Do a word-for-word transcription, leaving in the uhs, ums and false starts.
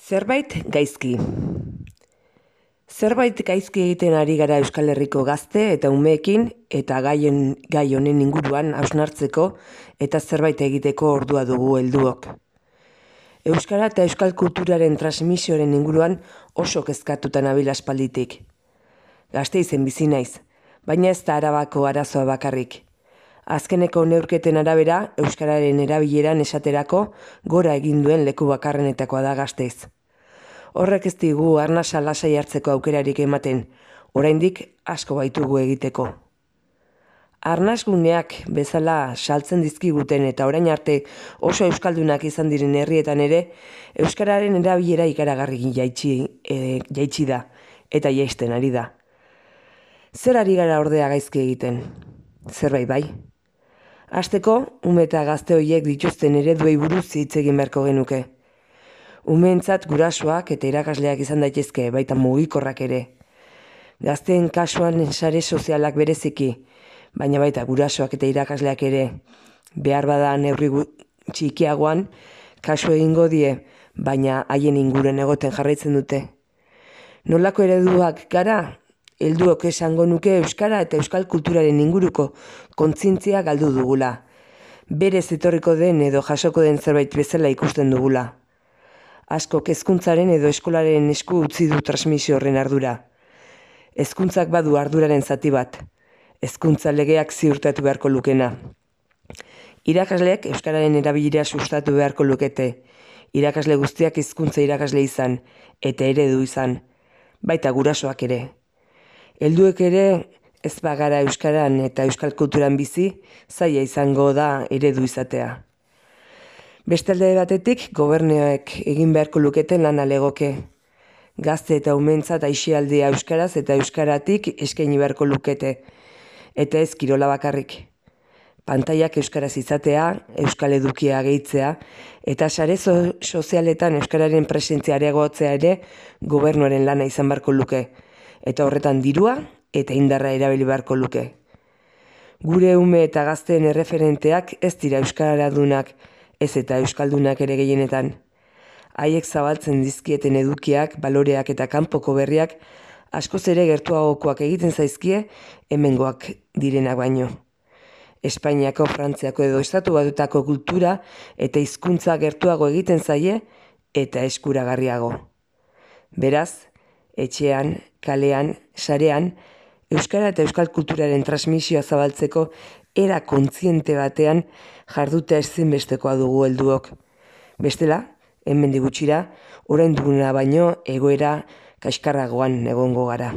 Zerbait gaizki. Zerbait gaizki egiten ari gara Euskal Herriko gazte eta umeekin eta gaien, gai honen inguruan hausnartzeko eta zerbait egiteko ordua dugu helduok. Euskara eta euskal kulturaren transmisioaren inguruan oso kezkatuta nabil aspalditik. Gasteizen bizi naiz, baina ez da Arabako arazoa bakarrik. Azkeneko neurketen arabera, euskararen erabileran esaterako gora egin duen leku bakarrenetakoa da Gasteiz. Horrek ez digu arnasa lasai hartzeko aukerarik ematen, oraindik asko baitugu egiteko. Arnasguneak bezala saltzen dizkiguten eta orain arte oso euskaldunak izan diren herrietan ere, euskararen erabilera ikaragarri jaitsi, e, jaitsi da eta jaisten ari da. Zer ari gara ordea gaizki egiten? Zerbait bai? Hasteko, ume eta gazte horiek dituzten ereduei buruz hitz egin beharko genuke. Umeentzat gurasoak eta irakasleak izan daitezke, baita mugikorrak ere. Gazteen kasuan sare sozialak bereziki, baina baita gurasoak eta irakasleak ere, behar bada neurri txikiagoan, kasu egingo die, baina haien inguruan egoten jarraitzen dute. Nolako ereduak gara? Helduok esango nuke euskara eta euskal kulturaren inguruko kontzientzia galdu dugula. Berez etorriko den edo jasoko den zerbait bezala ikusten dugula. Askok hezkuntzaren edo eskolaren esku utzi du transmisio horren ardura. Hezkuntzak badu arduraren zati bat. Hezkuntza legeak ziurtatu beharko lukena. Irakasleek euskararen erabilera sustatu beharko lukete. Irakasle guztiak hizkuntza irakasle izan eta eredu izan, baita gurasoak ere. Helduek ere ez bagara euskaran eta euskal kulturan bizi, zaila izango da eredu izatea. Beste alde batetik, gobernuek egin beharko luketen lan alegoke. Gazte eta umeentzat aisialdia euskaraz eta euskaratik eskaini beharko lukete, eta ez kirola bakarrik. Pantailak euskaraz izatea, euskal edukia gehitzea, eta sare so- sozialetan euskararen presentzia areagotzea ere gobernuaren lana izan beharko luke, eta horretan dirua eta indarra erabili beharko luke. Gure ume eta gazteen erreferenteak ez dira euskaradunak, ez eta euskaldunak ere gehienetan. Haiek zabaltzen dizkieten edukiak, baloreak eta kanpoko berriak askoz ere gertuagokoak egiten zaizkie hemengoak direnak baino. Espainiako, Frantziako edo Estatu Batutako kultura eta hizkuntza gertuago egiten zaie eta eskuragarriago. Beraz, etxean, kalean, sarean, euskara eta euskal kulturaren transmisioa zabaltzeko era kontziente batean jardutea ezinbestekoa dugu helduok. Bestela, hemendik gutxira, orain duguna baino egoera kaskarragoan egongo gara.